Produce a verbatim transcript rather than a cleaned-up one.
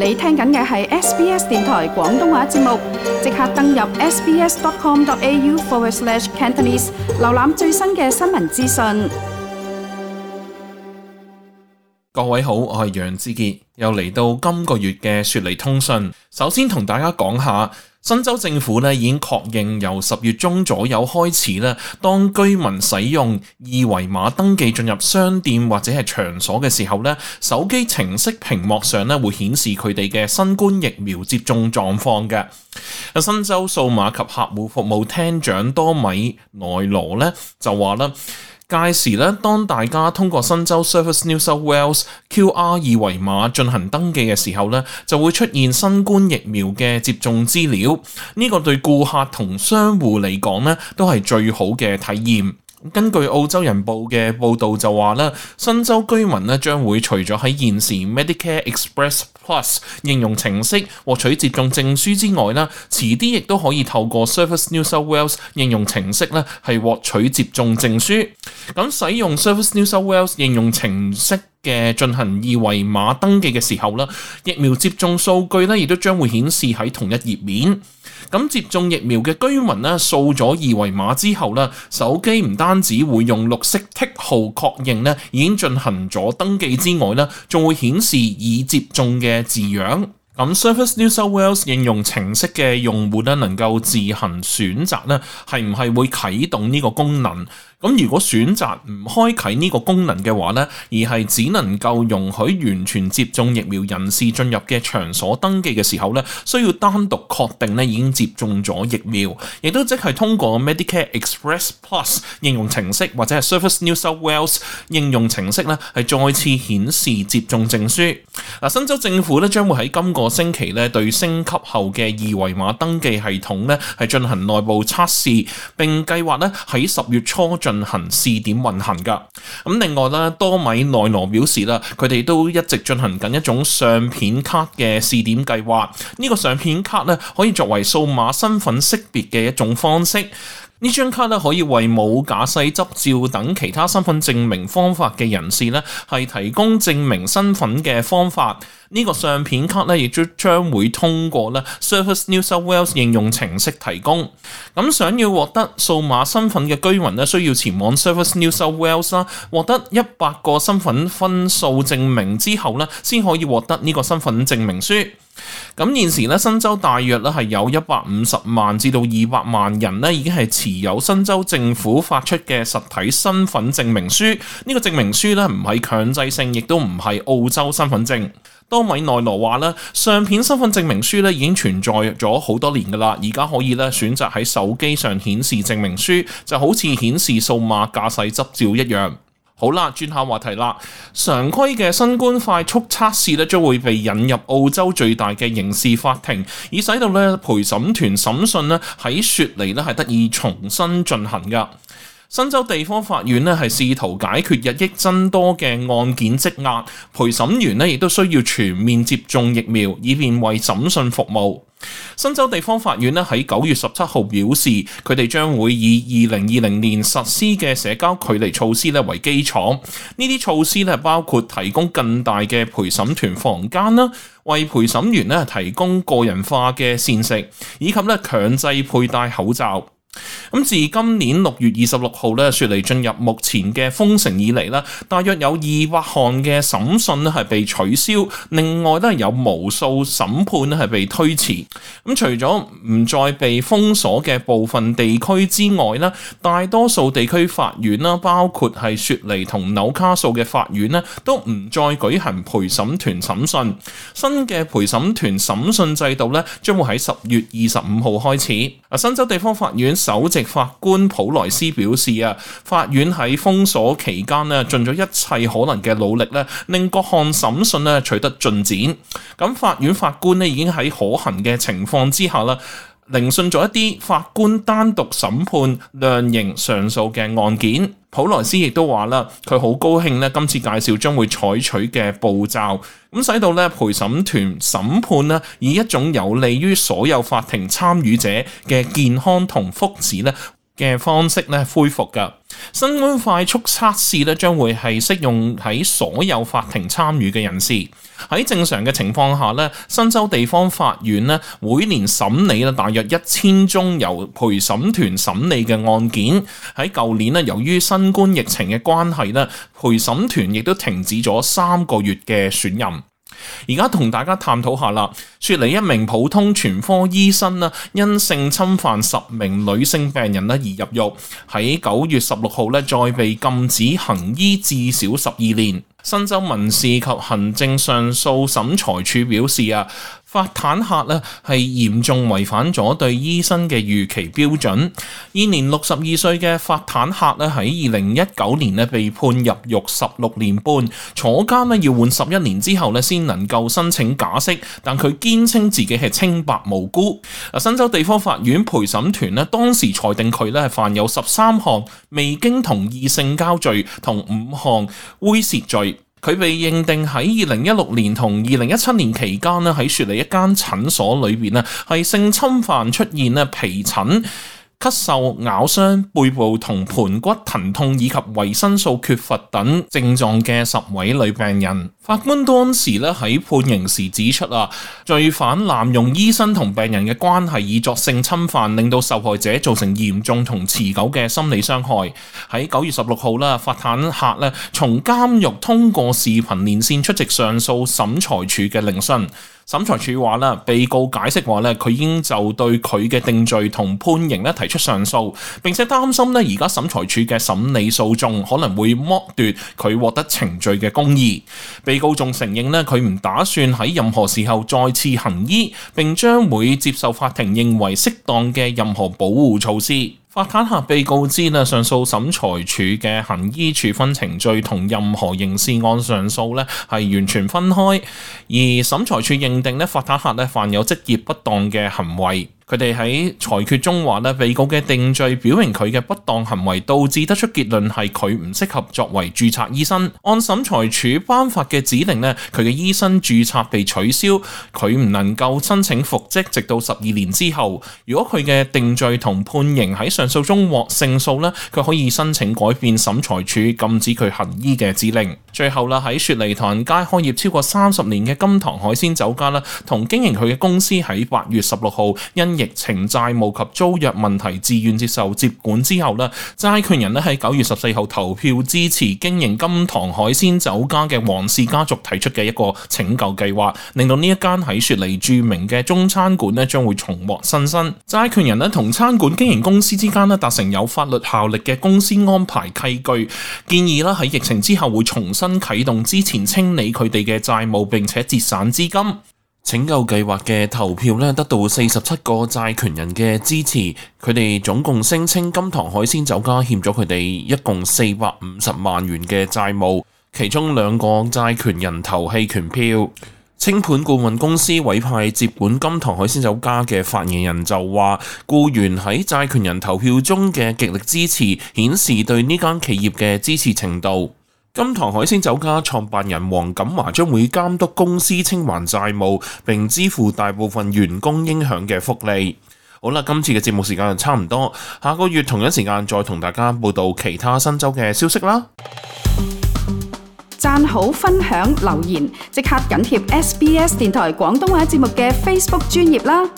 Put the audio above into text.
你聽緊嘅係 S B S 電台廣東話節目，即刻登入 sbs.com.au forward slash Cantonese， 瀏覽最新嘅新聞資訊。各位好，我係楊志傑，又嚟到今個月嘅雪梨通訊。首先同大家講下，新州政府咧已經確認由十月中左右開始咧，當居民使用二維碼登記進入商店或者係場所嘅時候咧，手機程式屏幕上咧會顯示佢哋嘅新冠疫苗接種狀況嘅。新州數碼及客戶服務廳長多米內羅咧就話啦，屆時咧，當大家通過新州 Service New South Wales Q R 二維碼進行登記嘅時候咧，就會出現新冠疫苗嘅接種資料。呢個對顧客同商戶嚟講咧，都係最好嘅體驗。根據澳洲人報嘅報導就話咧，新州居民咧將會除咗喺現時 Medicare Express Plus 應用程式獲取接種證書之外啦，遲啲亦都可以透過 Service New South Wales 應用程式咧係獲取接種證書。咁使用 Service New South Wales 應用程式嘅進行二維碼登記嘅時候啦，疫苗接種數據咧亦都將會顯示喺同一頁面。咁接種疫苗嘅居民咧掃咗二維碼之後咧，手機唔單止會用綠色剔號確認咧已經進行咗登記之外咧，仲會顯示已接種嘅字樣。咁 Service New South Wales 應用程式嘅用戶咧能夠自行選擇咧係唔係會啟動呢個功能。咁如果選擇唔開啟呢個功能嘅話呢，而係只能夠容許完全接種疫苗人士進入嘅場所登記嘅時候呢，需要單獨確定呢已經接種咗疫苗，亦都即係通過 Medicare Express Plus 應用程式或者係 Service New South Wales 應用程式呢係再次顯示接種證書。嗱，新州政府呢將會喺今個星期呢對升級後嘅二維碼登記系統呢係進行內部測試，並計劃呢喺十月初進行試點運行噶。咁另外咧，多米內羅表示啦，佢哋都一直進行緊一種相片卡嘅試點計劃。呢個相片卡咧可以作為數碼身份識別嘅一種方式。呢張卡咧可以為冇駕駛執照等其他身份證明方法嘅人士咧係提供證明身份嘅方法。呢個相片卡咧亦都將會通過咧 Service New South Wales 應用程式提供。咁想要獲得數碼身份嘅居民咧，需要前往 Service New South Wales 啦，獲得一百個身份分數證明之後咧，先可以獲得呢個身份證明書。咁現時咧，新州大約咧係有一百五十萬至到二百萬人咧，已經係持有新州政府發出嘅實體身份證明書。呢個證明書咧唔係強制性，亦都唔係澳洲身份證。多米內羅話咧，相片身份證明書咧已經存在咗好多年噶啦，而家可以咧選擇喺手機上顯示證明書，就好似顯示數碼駕駛執照一樣。好啦，轉下話題啦。常規嘅新冠快速測試咧將會被引入澳洲最大嘅刑事法庭，以使到咧陪審團審訊咧喺雪梨咧係得以重新進行噶。新州地方法院咧係試圖解決日益增多嘅案件積壓，陪審員咧亦都需要全面接種疫苗，以便為審訊服務。新州地方法院咧喺九月十七號表示，佢哋將會以二零二零年實施嘅社交距離措施咧為基礎。呢啲措施咧包括提供更大嘅陪審團房間啦，為陪審員咧提供個人化嘅膳食，以及咧強制佩戴口罩。咁自今年六月二十六號咧，雪梨進入目前嘅封城以嚟咧，大約有二百項嘅審訊咧係被取消，另外咧有無數審判咧係被推遲。咁除咗唔再被封鎖嘅部分地區之外咧，大多數地區法院啦，包括係雪梨同紐卡素嘅法院咧，都唔再舉行陪審團審訊。新嘅陪審團審訊制度咧，將會喺十月二十五號開始。啊，新州地方法院首席法官普萊斯表示啊，法院喺封鎖期間咧，盡咗一切可能嘅努力咧，令各項審訊咧取得進展。咁法院法官咧已經喺可行嘅情況之下啦，聆訊咗一啲法官單獨審判量刑上訴嘅案件。普萊斯亦都話啦，佢好高興咧，今次介紹將會採取嘅步驟，咁使到咧陪審團審判咧以一種有利於所有法庭參與者嘅健康同福祉咧嘅方式咧恢復噶。新冠快速測試咧將會係適用喺所有法庭參與嘅人士。喺正常嘅情況下咧，新州地方法院咧每年審理咧大約一千宗由陪審團審理嘅案件。喺舊年咧，由於新冠疫情嘅關係咧，陪審團亦都停止咗三個月嘅選任。而家同大家探討下啦，雪梨一名普通全科醫生啦，因性侵犯十名女性病人咧而入獄，喺九月十六號咧再被禁止行醫至少十二年。新州民事及行政上訴審裁處表示啊，法坦克咧係嚴重違反咗對醫生嘅預期標準。現年六十二歲嘅法坦克咧喺二零一九年咧被判入獄十六年半，坐監咧要換十一年之後咧先能夠申請假釋，但佢堅稱自己係清白無辜。新州地方法院陪審團咧當時裁定佢咧係犯有十三項未經同意性交罪同五項猥褻罪。佢被認定喺二零一六年同二零一七年期間咧喺雪梨一間診所裏邊咧係性侵犯出現咧皮疹、咳嗽、咬傷、背部同盤骨疼痛以及維生素缺乏等症狀嘅十位女病人。法官當時咧喺判刑時指出啊，罪犯濫用醫生同病人嘅關係以作性侵犯，令到受害者造成嚴重同持久嘅心理傷害。喺九月十六號啦，法坦克咧從監獄通過視頻連線出席上訴審裁處嘅聆訊。審裁處話啦，被告解釋話咧，佢已經就對佢嘅定罪同判刑咧提出上訴，並且擔心咧而家審裁處嘅審理訴訟可能會剝奪佢獲得程序嘅公義。被告仲承認咧，佢唔打算喺任何時候再次行醫，並將會接受法庭認為適當嘅任何保護措施。法坦克被告知咧，上訴審裁處嘅行醫處分程序同任何刑事案上訴咧係完全分開，而審裁處認定咧法坦克咧犯有職業不當嘅行為。佢哋喺裁決中話咧，被告嘅定罪表明佢嘅不當行為導致得出結論係佢唔適合作為註冊醫生。按審裁處頒發嘅指令咧，佢嘅醫生註冊被取消，佢唔能夠申請復職，直到十二年之後。如果佢嘅定罪同判刑喺上訴中獲勝訴咧，佢可以申請改變審裁處禁止佢行醫嘅指令。最後啦，喺雪梨唐人街開業超過三十年嘅金堂海鮮酒家啦，同經營佢嘅公司喺八月十六號因疫情債務及租約問題自願接受接管之後咧，債權人咧喺九月十四號投票支持經營金堂海鮮酒家嘅黃氏家族提出嘅一個拯救計劃，令到呢一間喺雪梨著名嘅中餐館咧將會重獲新生。債權人咧同餐館經營公司之間咧達成有法律效力嘅公司安排契據，建議啦喺疫情之後會重新啟動之前清理佢哋嘅債務，並且節省資金。拯救計劃嘅投票咧得到四十七個債權人嘅支持，佢哋總共聲稱金堂海鮮酒家欠咗佢哋一共四百五十萬元嘅債務，其中兩個債權人投棄權票。清盤顧問公司委派接管金堂海鮮酒家嘅發言人就話，僱員喺債權人投票中嘅極力支持，顯示對呢間企業嘅支持程度。金堂海鮮酒家創辦人黃錦華將會監督公司清還債務，並支付大部分員工應享嘅福利。好啦，今次嘅節目時間就差唔多，下個月同一時間再同大家報道其他新州嘅消息啦。讚好、分享、留言，即刻緊貼 S B S 電台廣東話節目嘅 Facebook 專頁啦。